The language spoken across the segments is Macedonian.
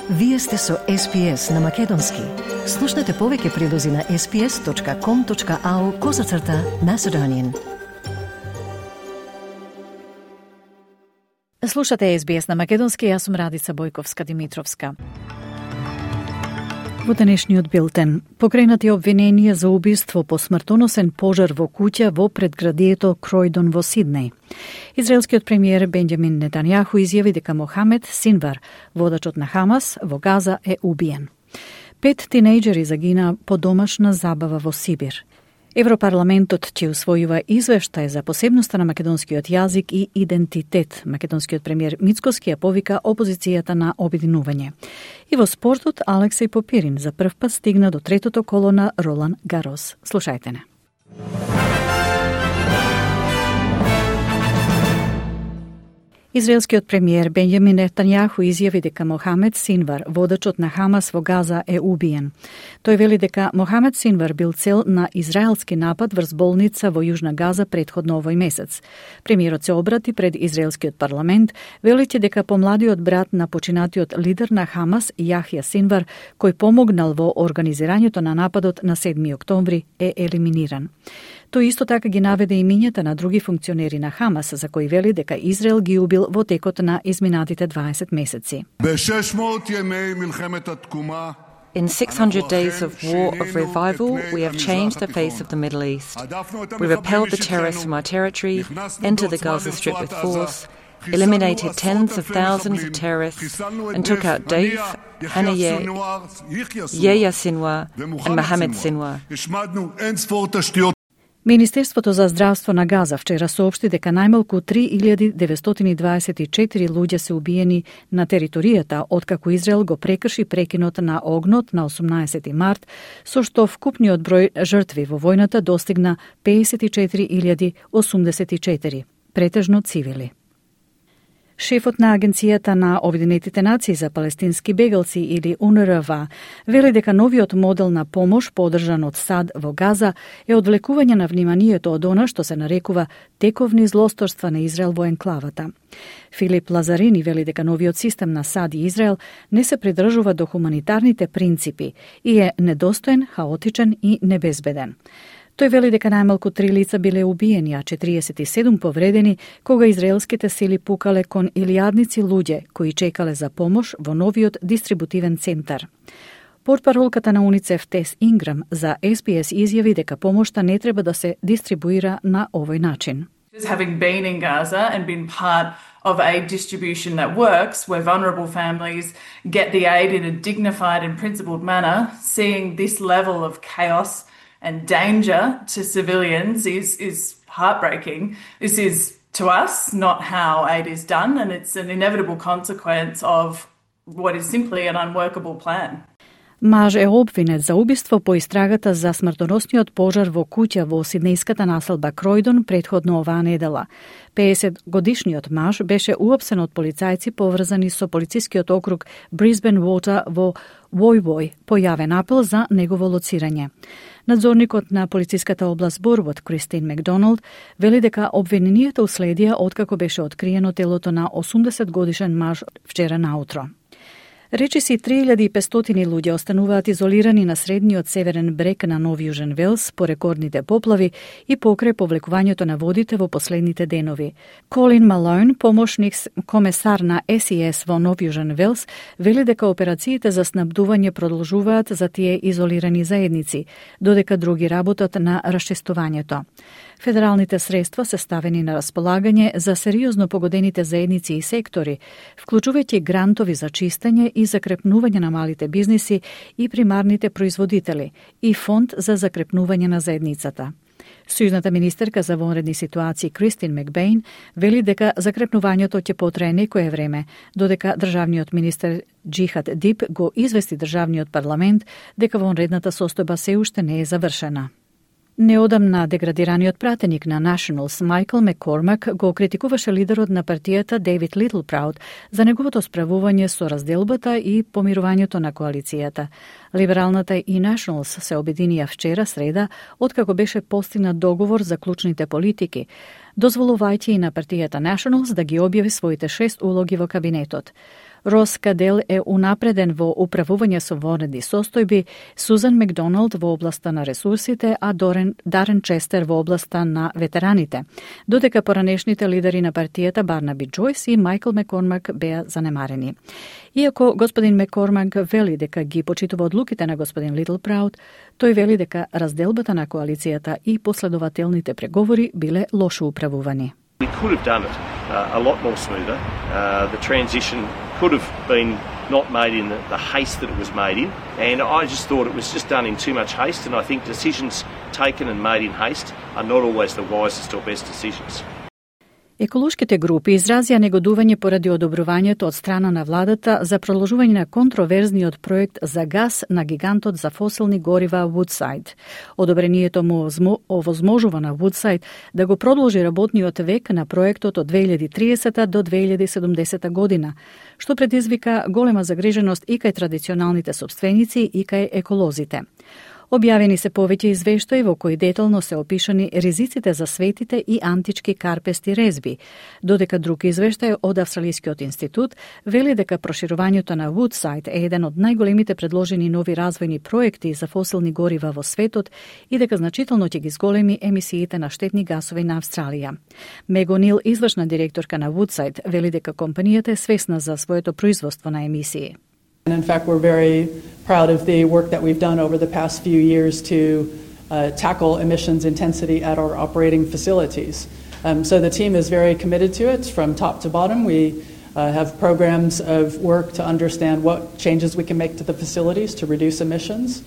Вие сте со SPS на Македонски. Слушнете повеќе прилози на sps.com.au/Macedonian. Слушате SBS на Македонски, јас сум Радица Бојковска-Димитровска. Во денешниот билтен, покренати обвиненија за убиство по смртоносен пожар во куќа во предградието Кројдон во Сиднеј. Израелскиот премиер Бенџамин Нетањаху изјави дека Мохамед Синвар, водачот на Хамас, во Газа е убиен. 5 тинејџери загина по домашна забава во Сибир. Европарламентот ќе усвојува извештај за посебноста на македонскиот јазик и идентитет. Македонскиот премиер Мицкоски ја повика опозицијата на обединување. И во спортот Алексеј Попирин за прв пат стигна до третото коло на Ролан Гарос. Слушајте не. Израелскиот премиер Бенџамин Нетањаху изјави дека Мохамед Синвар, водачот на Хамас во Газа, е убиен. Тој вели дека Мохамед Синвар бил цел на израелски напад врз болница во Јужна Газа претходно овој месец. Премиерот се обрати пред израелскиот парламент, велејќи дека помладиот брат на починатиот лидер на Хамас, Јахја Синвар, кој помогнал во организирањето на нападот на 7 октомври, е елиминиран. Тој исто така ги наведе имињата на други функционери на Хамас, за кои вели дека Израел ги убил во текот на изминатите 20 месеци. In 600 days of war of revival, we have changed the face of the Middle East. We repelled the terrorists from our territory, entered the Gaza Strip with force, eliminated tens of thousands of terrorists, and took out Dave, Haniyeh, Yehia Sinwar, and Mohamed Sinwar. Министерството за здравство на Газа вчера соопшти дека најмалку 3924 луѓе се убиени на територијата откако Израел го прекрши прекинот на огнот на 18 март, со што вкупниот број жртви во војната достигна 54.084, претежно цивили. Шефот на Агенцијата на Обединетите нации за палестински бегалци или УНРВА вели дека новиот модел на помош подржан од САД во Газа е одвлекување на вниманието од она што се нарекува тековни злосторства на Израел во енклавата. Филип Лазарини вели дека новиот систем на САД и Израел не се придржува до хуманитарните принципи и е недостоен, хаотичен и небезбеден. Тој вели дека најмалку 3 лица биле убиени, а 47 повредени, кога израелските сили пукале кон илјадници луѓе кои чекале за помош во новиот дистрибутивен центар. Портпаролката на УНИЦЕФ Тес Инграм за SBS изјави дека помошта не треба да се дистрибуира на овој начин. Having been in Gaza and been part of aid distribution that works, where vulnerable families get the aid in a dignified and principled manner, seeing this level of chaos and danger to civilians is heartbreaking. This is, to us, not how aid is done, and it's an inevitable consequence of what is simply an unworkable plan. Маж е обвинет за убиство по истрагата за смртоносниот пожар во куќа во сиднејската населба Кројдон претходно оваа недела. 50-годишниот маж беше уапсен од полицајци поврзани со полицискиот округ Брисбен Water во Вој по јавен апел за негово лоцирање. Надзорникот на полициската област Борвот, Кристин Макдоналд, вели дека обвиненијата уследија откако беше откриено телото на 80-годишен маж вчера наутро. Речиси 3500 луѓе остануваат изолирани на средниот северен брег на Нов Јужен Велс по рекордните поплави и покрај повлекувањето на водите во последните денови. Колин Малоун, помошник комесар на SES во Нов Јужен Велс, вели дека операциите за снабдување продолжуваат за тие изолирани заедници, додека други работат на расчистувањето. Федералните средства се ставени на располагање за сериозно погодените заедници и сектори, вклучувајќи грантови за чистење и закрепнување на малите бизниси и примарните производители и фонд за закрепнување на заедницата. Сојузната министерка за вонредни ситуации Кристин Макбейн вели дека закрепнувањето ќе потрае некое време, додека државниот министер Джихад Дип го извести државниот парламент дека вонредната состојба се уште не е завршена. Неодамна деградираниот пратеник на Nationals Майкл Маккормак го критикуваше лидерот на партијата Дейвид Литлпраут за неговото справување со разделбата и помирувањето на коалицијата. Либералната и Nationals се обединија вчера среда, откако беше постигнат договор за клучните политики, дозволувајќи и на партијата Nationals да ги објави своите 6 улоги во кабинетот. Рос Кадел е унапреден во управување со вонредни состојби, Сузан Макдоналд во областа на ресурсите, а Дарен Честер во областа на ветераните, додека поранешните лидери на партијата Барнаби Джойс и Майкл Маккормак беа занемарени. Иако господин Маккормак вели дека ги почитува одлуките на господин Литлпраут, тој вели дека разделбата на коалицијата и последователните преговори биле лошо управувани. We could have done it a lot more smoother. The transition could have been not made in the haste that it was made in, and I just thought it was just done in too much haste, and I think decisions taken and made in haste are not always the wisest or best decisions. Еколошките групи изразија негодување поради одобрувањето од страна на владата за продолжување на контроверзниот проект за гас на гигантот за фосилни горива Вудсайд. Одобрението му овозможува на Вудсайд да го продолжи работниот век на проектот од 2030 до 2070 година, што предизвика голема загриженост и кај традиционалните сопственици и кај еколозите. Објавени се повеќе извештаи во кои детално се опишани ризиците за светите и антички карпести резби, додека друг извештај од Австралискиот институт вели дека проширувањето на Вудсайд е еден од најголемите предложени нови развојни проекти за фосилни горива во светот и дека значително ќе ги зголеми емисиите на штетни гасови на Австралија. Мего Нил, извршна директорка на Вудсайд, вели дека компанијата е свесна за своето производство на емисии. And in fact, we're very proud of the work that we've done over the past few years to tackle emissions intensity at our operating facilities. So the team is very committed to it from top to bottom. We have programs of work to understand what changes we can make to the facilities to reduce emissions.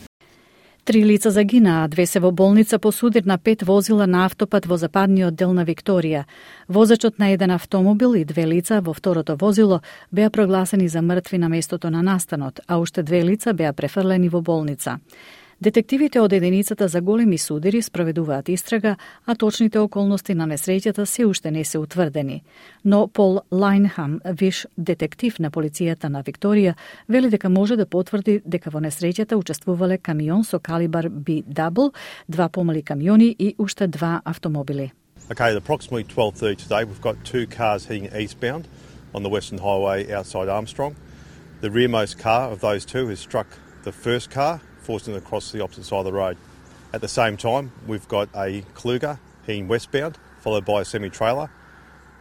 3 лица загинаа, 2 се во болница по судир на 5 возила на автопат во западниот дел на Викторија. Возачот на еден автомобил и 2 лица во второто возило беа прогласени за мртви на местото на настанот, а уште 2 лица беа префрлени во болница. Детективите од единицата за големи судири спроведуваат истрага, а точните околности на несреќата се уште не се утврдени. Но Пол Лајнхам, виш детектив на полицијата на Викторија, вели дека може да потврди дека во несреќата учествувале камион со калибар B-double, 2 помали камиони и уште 2 автомобили. Okay, at approximately 12:30 today, we've got 2 cars heading eastbound on the Western Highway outside Armstrong. The rearmost car of those two has struck the first car, forcing it across the opposite side of the road. At the same time, we've got a Kluger heading westbound, followed by a semi-trailer.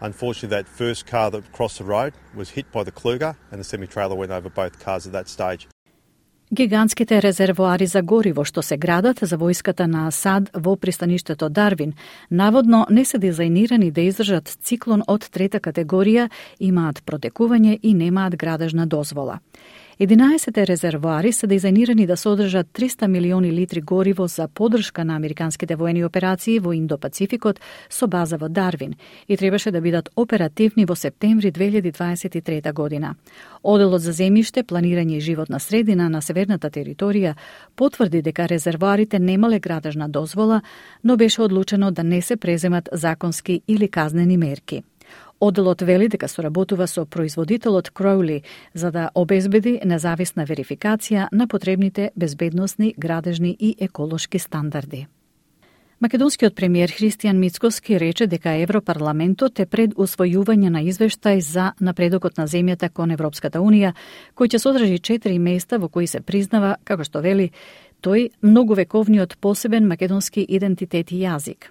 Unfortunately, that first car that crossed the road was hit by the Kluger, and the semi-trailer went over both cars at that stage. Гигантските резервоари за гориво што се градат за војската на Асад во пристаништето Дарвин, наводно не се дизајнирани да издржат циклон од 3-та категорија, имаат протекување и немаат градежна дозвола. 11 резервоари се дизајнирани да содржат 300 милиони литри гориво за подршка на американските воени операции во Индо-Пацификот со база во Дарвин и требаше да бидат оперативни во септември 2023 година. Оделот за земјиште, планирање и животна средина на северната територија потврди дека резервоарите немале градежна дозвола, но беше одлучено да не се преземат законски или казнени мерки. Оделот вели дека соработува со производителот Кроули за да обезбеди независна верификација на потребните безбедносни, градежни и еколошки стандарди. Македонскиот премиер Христијан Мицкоски рече дека Европарламентот е пред усвојување на извештај за напредокот на земјата кон Европската Унија, кој ќе содржи 4 места во кои се признава, како што вели, тој многовековниот посебен македонски идентитет и јазик.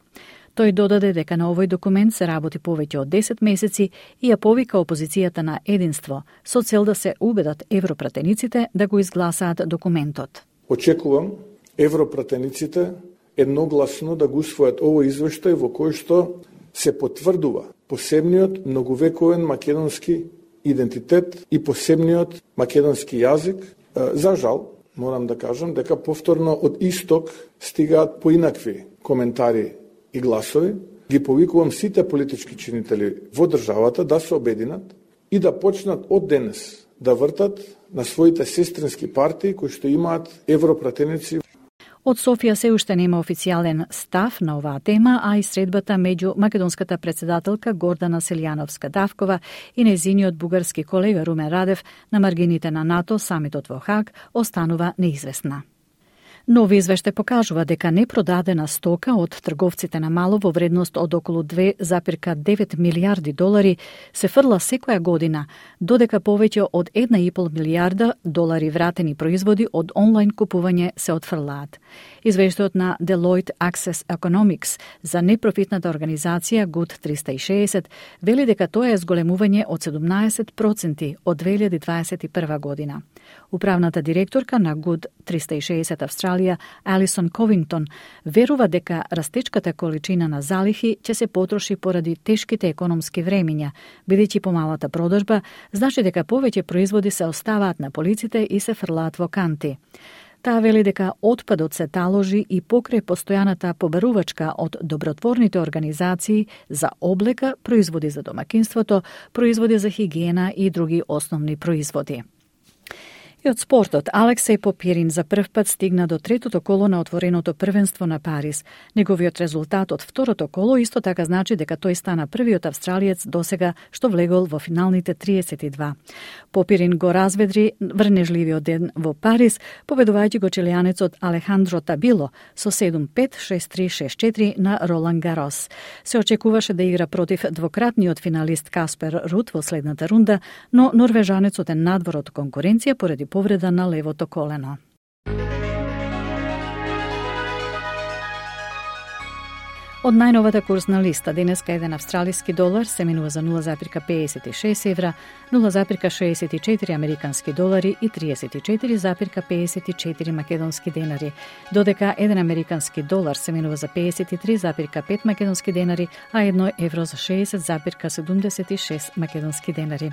Тој додаде дека на овој документ се работи повеќе од 10 месеци и ја повика опозицијата на единство со цел да се убедат европратениците да го изгласаат документот. Очекувам европратениците едногласно да го усвојат овој извештај во кој што се потврдува посебниот многовековен македонски идентитет и посебниот македонски јазик. За жал, морам да кажам дека повторно од исток стигаат поинакви коментари и гласови. Ги повикувам сите политички чинители во државата да се обединат и да почнат од денес да вртат на своите сестрински партии кои што имаат европратеници. Од Софија се уште нема официјален став на оваа тема, а и средбата меѓу македонската председателка Гордана Селјановска-Давкова и нејзиниот бугарски колега Румен Радев на маргините на НАТО, самитот во Хаг, останува неизвестна. Нови извештај покажува дека непродадена стока од трговците на мало во вредност од околу 2,9 милиарди долари се фрла секоја година, додека повеќе од 1,5 милиарда долари вратени производи од онлайн купување се отфрлаат. Извештајот на Deloitte Access Economics за непрофитната организација Good 360 вели дека тоа е зголемување од 17% од 2021 година. Управната директорка на Good 360 Австралија, Алисон Ковингтон, верува дека растечката количина на залихи ќе се потроши поради тешките економски времиња, бидејќи помалата продажба значи дека повеќе производи се оставаат на полиците и се фрлаат во канти. Таа вели дека отпадот се таложи и покрај постојаната побарувачка од добротворните организации за облека, производи за домакинството, производи за хигиена и други основни производи. И од спортот, Алексеј Попирин за прв пат стигна до третото коло на отвореното првенство на Париз. Неговиот резултат од второто коло исто така значи дека тој стана првиот австралиец досега што влегол во финалните 32. Попирин го разведри врнежливиот ден во Париз, победувајќи го чилијанецот Алехандро Табило со 7-5, 6-3, 6-4 на Ролан Гарос. Се очекуваше да игра против двократниот финалист Каспер Рут во следната рунда, но норвежанецот е надвор од конкуренција поради повреда на левото колено. Од најновата курсна листа, денеска еден австралиски долар се менува за 0,56 евра, 0,64 американски долари и 34,54 македонски денари, додека еден американски долар се менува за 53,5 македонски денари, а 1 евро за 60,76 македонски денари.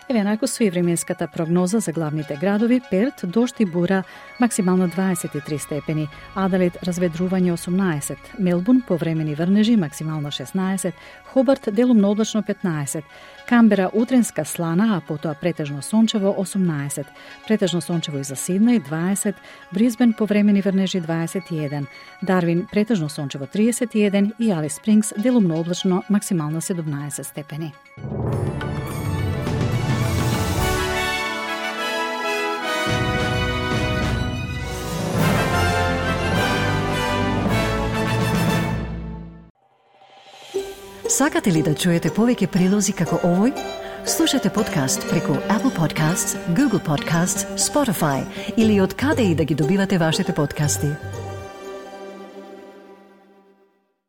Еве накусу и временската прогноза за главните градови: Перт, дожд и бура, максимално 23 степени, Аделаид разведрување 18, Мелбурн повремени врнежи, максимално 16, Хобарт делумно облачно 15, Камбера утренска слана, а потоа претежно сончево 18, претежно сончево и за Сиднеј 20, Брисбен повремени врнежи 21, Дарвин претежно сончево 31 и Алис Спрингс делумно облачно, максимално 17 степени. Сакате ли да чуете повеќе прилози како овој? Слушате подкаст преку Apple Podcasts, Google Podcasts, Spotify или од каде и да ги добивате вашите подкасти.